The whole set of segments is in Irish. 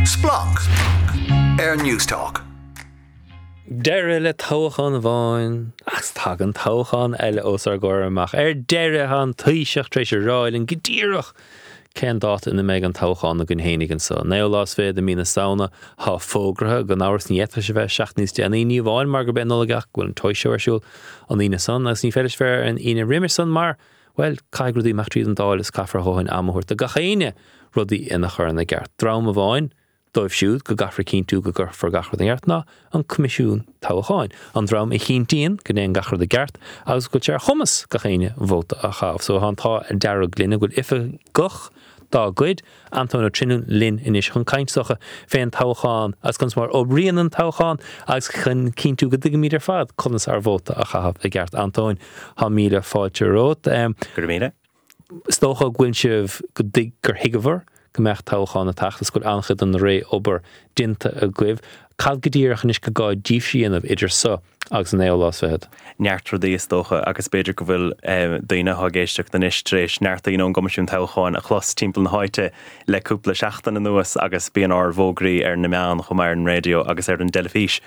Splanc ar Newstalk. Deireadh le toghchán amháin agus tagann toghchán eile os ár gcomhair amach. Ar deireadh, tá an Taoiseach tar éis a rá linn go díreach cén dáta ina mbeidh an toghchán againn fhéinig anso. Naoú lá is fichead de mí na Samhna thá fógraithe, gan amhras ní fhéadfadh sé bheith seachtain níos déanaí, ní amháin mar gurb é an Nollaig ach go bhfuil an Toy Show ar siúl an Aoine san agus ní féidir leis bheith ar an Aoine roimis san mar, bhuel, caithfidh rudaí imeacht tríd an Dáil is caithfear a dhóthain ama a thabhairt do gach éinne rudaí ina chur ina gceart. Dream amháin dóibh siúd go gcaithfear cinntiú go gcuirfear gach rud ina gceart ná an Coimisiún Toghcháin, an dream a chinntíonn go ndéanann gach rud i gceart agus go bhfuil sé ar chumas gach éinne vóta a chaitheamh. So tá an t-ádh dearg linn go bhfuil oifigeach dá gcuid, Antóin Ó Trinlúin, linn anois chun caint is dócha fén toghchán agus conas mar oibríonn an toghchán agus chun cinntiú go dtuigimid ar fad conas ár vóta a chaitheamh i gceart. Antóin, tá míle fáilte romhat. Go raibh míle. Is dócha go bhfuil sibh, go dtuig, gur thuigeabhair go mbeadh toghchán ag teacht is go bhfuil an-chuid den réamhobair déanta agaibh. Cad go díreach anois gur gá daoibhse a dhéanamh idir so agus an naoú lá is fichead? Neart rudaí is dócha agus b'fhéidir go bhfuil daoine atá ag éisteacht anois tar éis neart daoine ón gCoimisiún Toghcháin a chlos timpeall na háite le cúpla seachtain anuas agus bíonn ár bhfógraí ar na meáin chomh maith ar an raidió agus ar an dteilifís.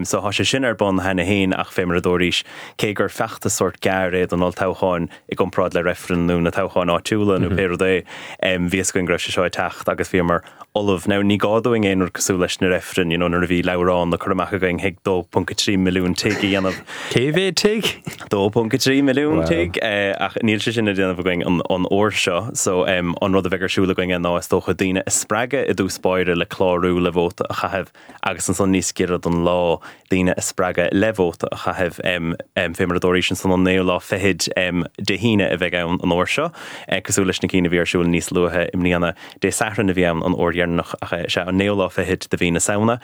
So tá sé sin ar bun cheana féin ach fé mar a dúraís, cé gur feachtas sórt gearr é don olltoghchán, i gcomparáid le reifreann nó na toghcháin áitiúla nó pé rud é, bhí fhios againn go raibh sé seo ag teacht agus bhíomar ullamh. Now ní gá dúinn aon rud cosúil leis na reifrinn, you know, nuair a bhí leabhrán le cur amach againn chuig 2.3 milliún tigh a dhéanamh. Cé mhéad tigh? 2.3 milliún tigh, ach níl sé sin le déanamh againn an uair seo. So an rud a bheidh ar siúl againn ná is dócha daoine a spreagadh i dtús báire le clárú le vóta a chaitheamh agus ansan níos giorra don lá, daoine a spreagadh le vóta a chaitheamh. Fé mar a dúraís ansan an naoú lá fichead Dé hAoine a bheidh ann an uair seo, cosúil leis na cinn a bhí ar siúl níos luaithe i mbliana. Dé Sathairn a bhí ann an uair dheireanach ach sea, an naoú lá fichead de mhí na Samhna.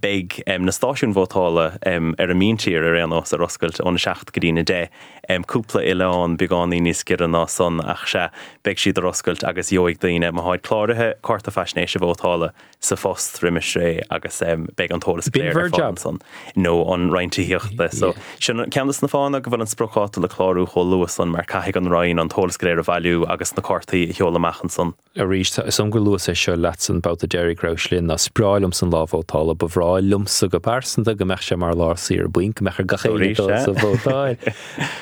Beidh na stáisiúin vótála ar an míntír ar aon nós ar oscailt óna seacht go dtína deich. Cúpla oileán beagáinín níos giorra ná san ach sea, beidh siad ar oscailt agus gheobhaidh daoine, má tháid cláraithe, cárta faisnéise vótála. sa phost roimis ré agus beidh an t-eolas go léir ar fáil ansan nó an Roinn Tithíochta. So sin ceann de na fáthanna go bhfuil an spriocdháta le clárú chomh luath san mar caithfidh an Roinn an t-eolas go léir a bhailiú agus na cártaí a sheoladh amach ansan. Arís, tá 'fhios a'm gur luas é seo leatsa an babhta deiridh go rabhais linn, ná is breá liomsa an lá vótála, ba bhreá liomsa go pearsanta go mbeadh sé mar lá saoire bainc, go mbeadh ar gach éinne dul sa vótáil.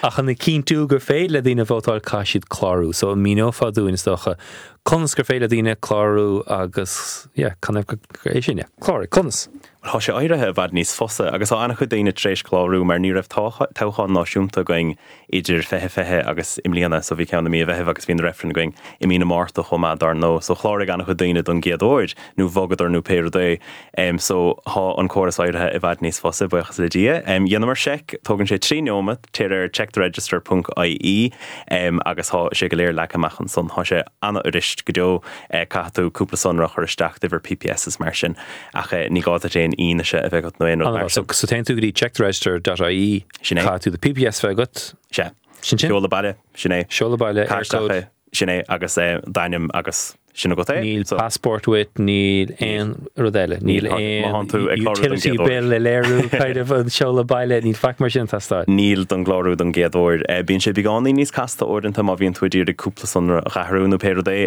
Ach chun a chinntiú gur féidir le daoine vótáil caithfidh siad clárú. So an míneofá dúinn is dócha Conas gur féidir le daoine clárú agus, yeah, can é sin, yeah, cláraigh, conas? Bhuel, tá sé éirithe i bhfad níos fusa agus tá an-chuid daoine tar éis clárú mar ní raibh toghchán náisiúnta againn idir 2020 agus i mbliana, so bhí ceann i mí an Mheithimh agus bhí na reifrinn againn i mí na Márta chomh maith dár ndóigh. So chláraigh an-chuid daoine don gcéad uair nó bhogadar nó pé rud é. So tá an córas éirithe i bhfad níos fusa, buíochas le Dia. Dheineamar seic, tógann sé 3 neomat, téir ar checktheregister ponc ie agus tá sé go léir leagtha amach ansan. Tá sé an-fhuirist go deo. Caithfidh tú cúpla sonra a chur isteach, d'uimhir PPS is mar sin, ach ní gá duit aon fhianaise a bheith agat nó aon rud mar sin. So téann tú go dtí checktheregister dot ie, Sin é. caithfidh tú do PPS a bheith agat. Sea. Sin sin? Seoladh baile, sin é. Seoladh baile, Caith isteach Eircode. é, sin é, agus d'ainm agus sin agat é. Níl passport uait, níl aon rud eile, níl aon utility bill le léiriú kind of an seoladh baile, níl faic mar sin ag teastáil. Níl don gclárú don gcéad uair. Bíonn sé beagáinín níos casta uaireanta má bhíonn tú ag iarraidh cúpla sonra a athrú nó pé rud é.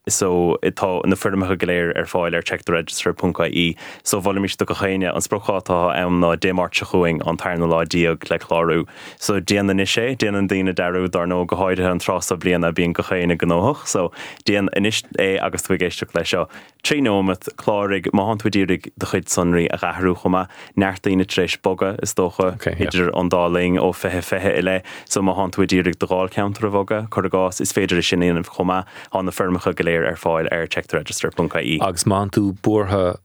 So tá na foirmeacha go léir ar fáil ar checktheregister ponc ie. So mholfaimis do gach éinne, an spriocdháta atá ann ná Dé Máirt seo chugainn, an tarna lá déag le clárú. So déan anois é, déanann daoine dearúd dár ndóigh, go háirithe an tráth seo bliana bíonn gach éinne gnóthach, so déan anois é agus tú ag éisteacht leis seo. 3 nóimeat, cláraigh, má thánn tú ag iarraidh do chuid sonraí a athrú chomh maith, neart daoine tar éis bogadh, is dócha, idir an dá linn, ó 2020 i leith, so má thánn tú ag iarraidh do dháilcheantar a bhogadh, cuir i gcás, is féidir é sin a dhéanamh chomh maith, tá na foirmeacha go léir ar fáil ar checktheregister ponc ie. Agus má thánn tú buartha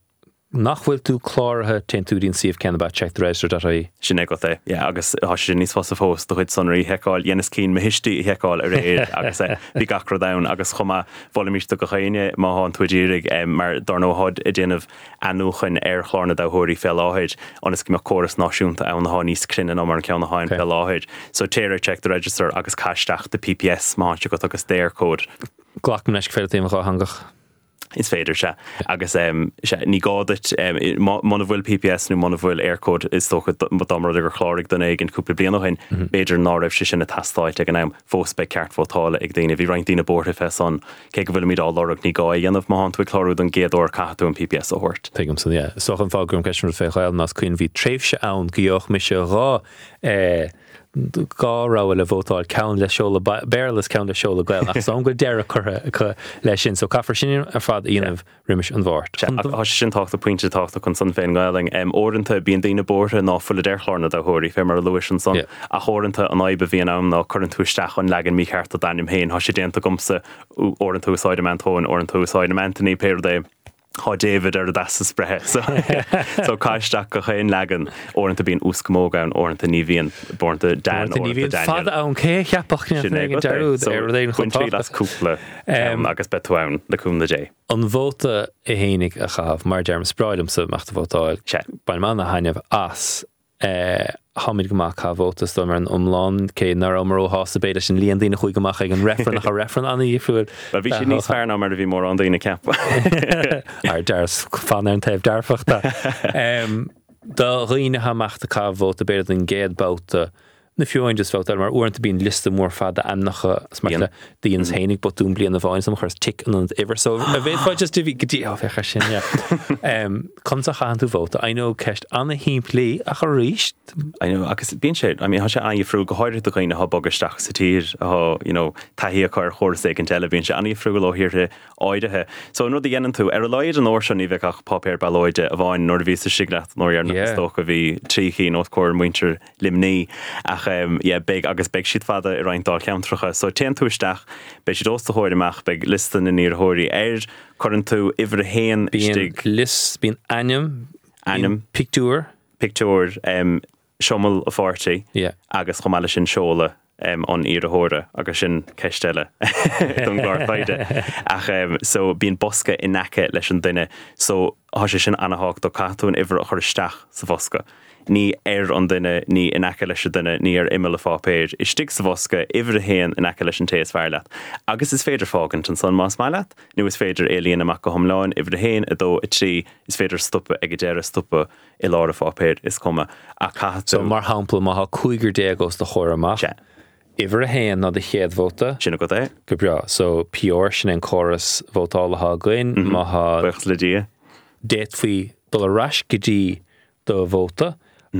nach bhfuil tú cláraithe, téann tú go dtí an suíomh céanna ab ea checktheregister dot ie. Sin agat é, yeah, agus tá sé sin níos fusa fós do chuid sonraí a sheiceáil. Dheineas cinn mo thuistí a sheiceáil aréir agus bhí gach rud ann agus chomh maith, mholfaimis do gach éinne má thánn tú ag iarraidh, mar dár ndóigh táid ag déanamh athnuachan ar chlár na dtoghthóirí fé láthair ionas go mbeadh córas náisiúnta ann atá níos cruinne ná mar an ceann atá ann fé láthair. So téir ar Check the Register agus caith isteach do PPS má thá sé agat agus d'Eircode. Glacaim leis go féidir leat é a dhéanamh dhátheangach. Is féidir, sea. Agus sea, ní gá duit, muna bhfuil PPS nó muna bhfuil Eircode, is dócha dá mba rud é gur chláraigh duine éigin cúpla bliain ó shin, b'fhéidir ná raibh sé sin ag teastáilt ag an am. Fós beidh ceart vótála ag daoine. Bhí roinnt daoine buartha fé san. Cé go bhfuilimid á lorg, ní gá é a dhéanamh. Má thánn tú ag clárú don gcéad uair, caithfidh tú an PPS a thabhairt. Tuigim san, yeah. Is dócha an fáth go gcuirim ceist an rud fé Ghaelainn ná is cuimhin bhí tréimhse ann go gheobhadh mise 2 2 rogha le vótáil, ceann le seoladh Béarla is ceann le seoladh Gaelainn, ach is dóigh liom go bhfuil deireadh curtha acu leis sin, so caithfear sin ar fad a dhéanamh roimis an Mháirt. Sea, ach tá sé sin tábhachtach, pointe tábhachtach ansan fén nGaelainn. Uaireanta bíonn daoine buartha ná fuilid ar chlár na dtoghthóirí, fé mar a luais ansan, ach uaireanta an fhadhb a bhíonn ann ná cuireann tú isteach an leagan mícheart de d'ainm féin. Tá sé déanta agamsa, uaireanta úsáidim Antóin, uaireanta úsáidim Anthony, pé rud é. Tá David ar an dteastas breithe so so caith isteach gach aon leagan. Uaireanta bíonn uaschamóg ann, uaireanta ní bhíonn, uaireanta Dan, Uaireanta ní uaireanta bhíonn Daniel. fada ann, cé a cheapfadh go Sin ndéanfaí é aon agat é. dearúd So ar rud éigin chomh bain triail as tábhachtach. cúpla ceann agus beidh tú ann, le cúnamh Dé. An vóta é fhéinig a chaitheamh, mar a deirim, is breá liomsa amach ag vótáil. Sea. Bainim ana-thaitneamh as. Táimid go maith ag caitheamh vóta, is dóigh liom, ar an iomlán, cé nach rabhamar róshásta b'fhéidir leis an líon daoine a chuaigh amach ag an reifreann, ach an reifreann an-dhifriúil. Bhuel, bhí siad níos fearr ná mar a bhí mórán daoine ag ceapadh. Ar dears, fan ar an taobh dearfach de. Do dhaoine atá amach ag caitheamh vóta, b'fhéidir don gcéad babhta, nó fiú amháin just babhta eile, mar uaireanta bíonn liosta mór fada ainmneacha is mar sin de, dheineas fhéinig botún bliain amháin is chuireas tic in ionad uimhir so an bhféadfá just go dtí, ó féach air sin, yeah. Conas a chaitheann tú vóta? I know ceist ana-shimplí ach arís. I know agus bíonn sé, I mean tá sé an-dhifriúil go háirithe do dhaoine atá ag bogadh isteach sa tír atá, you know, taithí acu ar chóras éigint eile, bíonn sé an-dhifriúil ó thíortha áirithe. So an rud a dhéanann tú, ar a laghad an uair seo ní bheidh ach páipéar ballóide amháin, nuair a bhíos istigh leat an uair dheireanach is dócha bhí trí chinn os comhair muintir Luimnigh ach yeah beidh agus beidh siad fada i roinnt dáilcheantracha. So téann tú isteach, beidh siad os do chomhair amach, beidh liosta na n-iarrthóirí air, cuireann tú uimhir a haon Bíonn istigh. lios, bíonn ainm, Ainm. bíonn pictiúr. Pictiúr, siombail an pháirtí Yeah. agus chomh maith leis sin seoladh an iarrthóra agus sin ceist eile don gclár taighde. Ach so bíonn bosca in aice leis an duine so tá sé sin ana-thábhachtach, caithfidh tú an uimhir a chur isteach sa bhosca. Ní ar an duine, ní in aice leis an duine, ní ar imeall an pháipéir, istigh sa bhosca, uimhir a haon in aice leis an té is fearr leat. Agus is féidir fágaint ansan más maith leat, nó is féidir é a líonadh amach go hiomlán, uimhir a haon, a dó, a trí, is féidir stopadh ag an deireadh, stopadh i lár an pháipéir, is cuma. Ach caithfidh So, tú. mar shampla, má tá cúigear déag os do chomhair amach, Sea. uimhir a haon ná do chéad vóta. Sin agat é. Go breá. So, PR, sin é an córas vótála atá againn. Má tá. Buíochas le Dia. D'fhéadfaí dul ar ais go dtí do vóta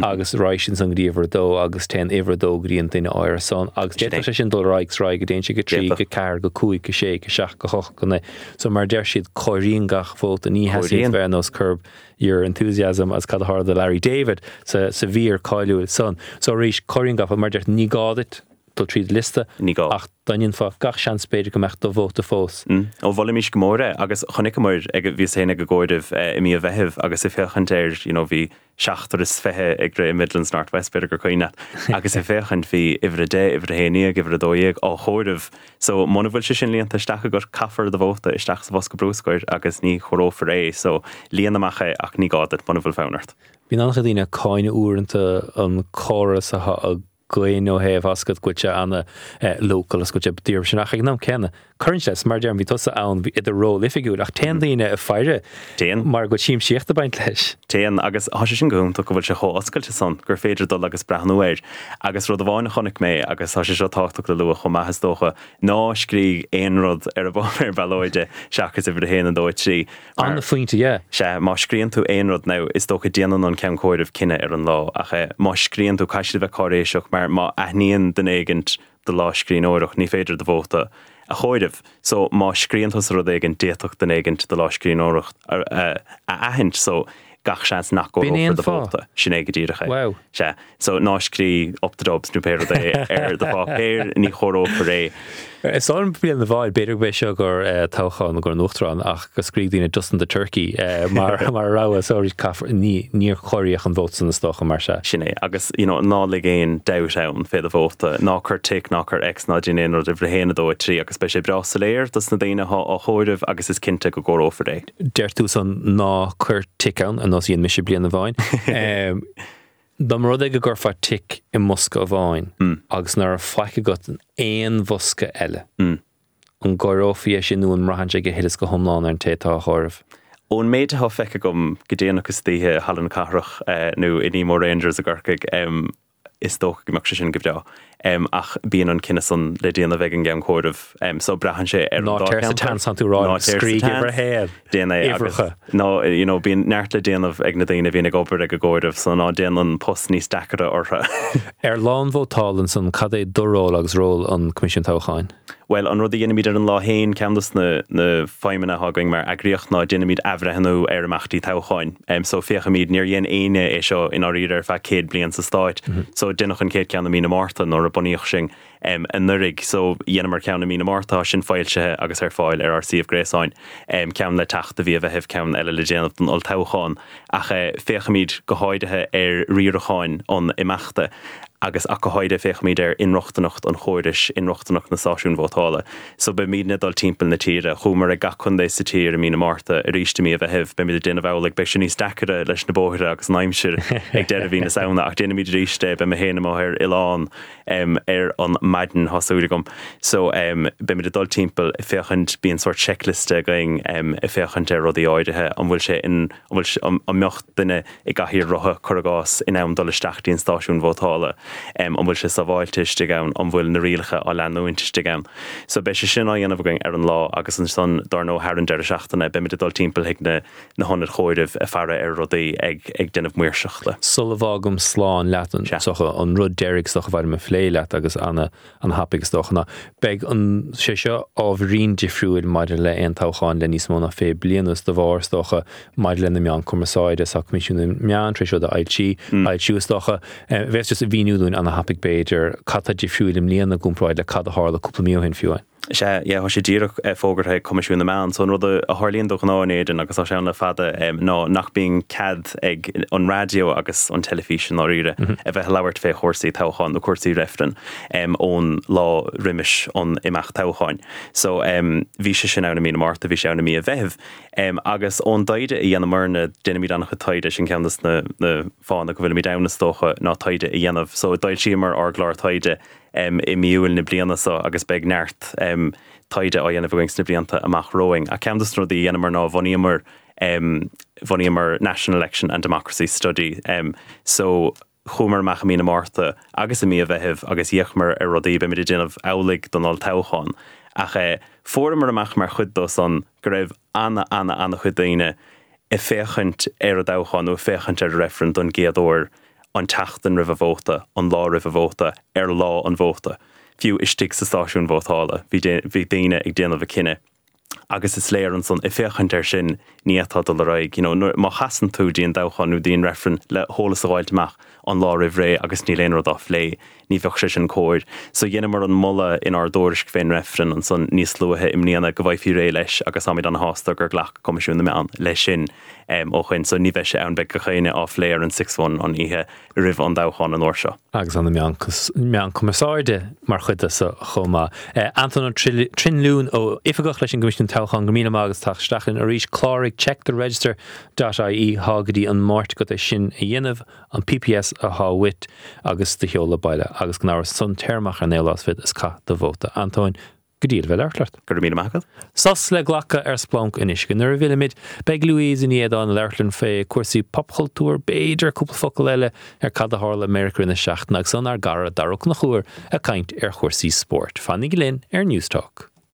agus raghaidh sin san go dtí uimhir a dó agus téann uimhir a dó go dtí an duine áirithe san agus d'fhéadfadh sé sin dul ar aghaidh 's ar aghaidh go dtéann sé go trí, go ceathair, go cúig, go sé, go seacht, go hocht, go naoi. So mar a deir siad, comhairíonn gach vóta, ní theastaíonn bheith ar nós Curb Your Enthusiasm agus cad a tharla do Larry David sa sa mhír cáiliúil san. So arís, comhairíonn gach vóta, mar a deir, ní gá duit dul tríd liosta Ní gá. ach dá ndéanfá gach seans b'fhéidir go mbeadh do vóta fós. Ó, mholfaimis go mór é agus chonaiceamar ag, bhíos féin ag an gcomhaireamh i mí an Mheithimh agus ag féachaint air, you know, bhí seachtar is fiche ag rith i Midlands North West, b'fhéidir gur cuimhin leat, agus ag féachaint bhí uimhir a deich, uimhir a haon dhéag, uimhir a dó dhéag á chomhaireamh. So muna bhfuil sé sin líonta isteach agat, caithfear do vóta isteach sa bhosca bruscair agus ní chomhaireofar é. So líon amach é ach ní gá duit muna bhfuil fonn ort. Bíonn an-chuid daoine ag cáineadh uaireanta an córas atá againn ó thaobh oscailt go bhfuil sé ana local is go bhfuil sé díreach sin ach ag an am céanna cuireann sé mar a deirim bhí tusa ann i do ról oifigiúil ach téann daoine ag faire Téann. mar go bhfuil siamsaíocht ag baint leis. Téann agus tá sé sin go hiontach go bhfuil sé chomh oscailte san gur féidir dul agus breathnú air agus rud amháin a chonaic mé agus tá sé seo tábhachtach le lua chomh maith is dócha ná scrígh aon rud ar an bpáipéar ballóide seachas uimhir a haon, a dó, a trí Mar. An-phointe, yeah. Sea, má scríonn tú aon rud, now, is dócha déanann an ceann comhairimh cinneadh ar an lá, ach eh, má scríonn tú, caithfidh siad a bheith cáiréiseach, mar má aithníonn duine éigint do lámhscríbhneoireacht, ní féidir do vóta a chomhaireamh. So, má scríonn tusa rud éigint, d'fhéadfadh duine éigint do lámhscríbhneoireacht a, a, a aithint, so gach seans nach B'in é gcomhaireofar an do fáth. vóta. Sin é go díreach é. Wow. Sea. So, ná scrígh up the Dubs nó pé rud é ar do pháipéar, ní chomhaireofar é. Is dóigh liom bliain amháin, b'fhéidir go b'é seo gur toghchán don uachtarán ach go scrígh daoine Justin the Turkey mar mar rogha so arís caithfear, ní, níor comhairíodh an vóta san is dócha mar sea. Sin é. Agus, you know, ná lig aon dabht ann fé do vóta. Ná cuir tic, ná cuir X, ná déan aon rud, uimhir a haon, a dó, a trí agus beidh sé breá soiléir dos na daoine atá á chomhaireamh agus is cinnte go gcomhaireofar é. Deir tú san ná cuir tic ann, ar nós a dhein mise bliain amháin. Dá mba rud é go gcuirfeá tic i mbosca amháin agus ná raibh faic agat in aon bhosca eile, An gcomhaireofaí é sin nó an mbraitheann sé go huile is go hiomlán ar an té atá á chomhaireamh? Ón méid atá feicthe agam go déanach istoíche i Halla na Cathrach nó in Emo Rangers i gCorcaigh, is dócha go mbeadh sé sin go breá. Ach bíonn an cinneadh san le déanamh ag an gceann comhairimh. So braitheann sé ar an dá cheantar. Ná téir sa tseans, tá tú rá, scrígh uimhir a haon. Déan é agus ná, you know, bíonn neart le déanamh ag na daoine a bhíonn ag obair ag an gcomhaireamh so ná déan an post níos deacaire orthu. Ar lá an vótáil ansan, cad é do ról agus ról an Coimisiúin Toghcháin? Bhuel, an rud a dhéanaimid ar an lá féin, ceann dos na feidhmeanna atá againn mar eagraíocht ná déanaimid athbhreithniú ar imeachtaí toghcháin. So féachaimid, níor dhein éinne é seo i ndáiríre ar feadh 100 bliain sa Stáit. So deineadh an chéad ceann i mí na Márta nuair a bunaíodh sinn anuraidh. So dheineamar ceann i mí na Márta, tá sin foilsithe agus ar fáil ar ár suíomh gréasáin. Ceann le teacht do mhí an Mheithimh, ceann eile le déanamh don olltoghchán. Ach féachaimid go háirithe ar riarachán an imeachta. agus ach go háirithe féachaimid ar inrochtaineacht an chórais, inrochtaineacht na stáisiún vótála. So beimidne ag dul timpeall na tíre. Chuamar ag gach contae sa tír i mí na Márta, arís i mí an Mheithimh, beimid ag déanamh amhlaidh, beidh sé níos deacaire leis na bóithre agus an aimsir ag deireadh mhí na Samhna ach déanfaimid arís é, beidh mé féin amuigh ar oileán ar an maidin, tá súil agam. So beimid ag dul timpeall ag féachaint, bíonn sórt seicliosta againn ag féachaint ar rudaí áirithe, an bhfuil sé in, an bhfuil, an mbeadh duine i gcathaoir rotha, cuir i gcás, in ann dul isteach dtí an stáisiún vótála, an bhfuil sé sábháilte istigh ann, an bhfuil na rialacha á leanúint istigh ann. So beidh sé sin á dhéanamh againn ar an lá agus ansan, dár ndóigh, thar an deireadh seachtaine, beimid ag dul timpeall chuig na na hionaid chomhairimh ag faire ar rudaí, ag ag déanamh maoirseachta. Sula bhfágaim slán leat, is dócha, an rud deiridh is dócha ba mhaith liom a phlé leat agus ana An-thapaidh is dócha ná beidh an sé seo ábhairín difriúil maidir le aon toghchán le níos mó ná 20 bliain anuas de bharr, is dócha, maidir le na meáin cumarsáide, tá Coimisiún na Meán tar éis rud a fhoilsí, fhoilsiú is dócha. Bheas just a mhíniú dúinn an-thapaidh b'fhéidir, cad tá difriúil i mbliana i gcomparáid le cad a tharla cúpla mí ó shin fiú amháin. Sea, yeah, tá sé díreach fógartha ag Coimisiún na Meán. So an rud a tharlaíonn de ghnáth in Éirinn, agus tá sé ann le fada, ná nach mbíonn cead ag an raidió agus an teilifís i ndáiríre a bheith ag labhairt fé chúrsaí toghcháin nó cúrsaí reifrinn ón lá roimis an imeacht toghcháin. So bhí sé sin ann i mí na Márta, bhí sé ann i mí an Mheithimh. Agus ón dtaighde a dhéanamarna, déanaimid an-chuid taighde, sin ceann de na fáthanna go bhfuilimid ann is dócha, ná taighde a dhéanamh. So d'fhoilsíomar ár gclár taighde i mí Iúil na bliana seo agus beidh neart taighde á dhéanamh againn sna blianta amach romhainn. Ach ceann de na rudaí a dhéanamar ná bhunaíomar bhunaíomar National Election and Democracy Study so chuamar amach i mí na Márta agus i mí an Mheithimh agus d'fhéachamar ar rudaí, beimid ag déanamh amhlaidh don olltoghchán. Ach fuaireamar amach mar chuid dó san go raibh ana-ana-ana-chuid daoine ag féachaint ar an dtoghchán nó ag féachaint ar an reifreann don gcéad uair an tseachtain roimh an vóta, an lá roimh an vóta, ar lá an vóta. Fiú istigh sa stáisiún vótála, bhí bhí daoine ag déanamh a cinneadh. Agus is léir ansan, ag féachaint air sin, ní fhéadfá dul ar aghaidh. You know, nuair, má chasann tú dtí an dtoghchán nó dtí an reifreann le heolas a dh'fháilt amach an lá roimh ré agus níl aon rud á phlé, ní bheadh sé sin cóir. So dheineamar an moladh inár dtuairisc fén reifreann ansan níos luaithe i mbliana go bhfaighfí réidh leis agus táimid ana-shásta gur ghlac Coimisiún na Meán leis sin ó shoin. So ní bheidh sé ann, beidh gach éinne á phlé ar an Six One an oíche roimh an dtoghchán an uair seo. Agus an na meáin cumarsáide mar chuid de so chomh maith. Antóin Ó Trinlúin, ó Oifigeach leis an gCoimisiún Toghcháin, go raibh míle maith agat as teacht isteach linn arís. Cláraigh checktheregister dot ie, thá go dtí an Máirt agat é sin a dhéanamh. an PPS athá uait agus do sheoladh baile agus gan amhras ansan téir amach ar an naoú lá is fichead is caith do vóta. Antóin, go diail a bheith ag labhairt leat. Go raibh míle maith agat. Sos le glacadh ar Splanc anois. Go nuair a bhfillimid, beidh Louise Ní Éadáin ag labhairt linn fé cúrsaí popchultúir, b'fhéidir cúpla focal eile ar cad a tharla i Meiriceá i rith na seachtaine agus ansan ár gcara Dara Ó Conchúir ag caint ar chúrsaí spóirt. Fanaigí linn ar Newstalk.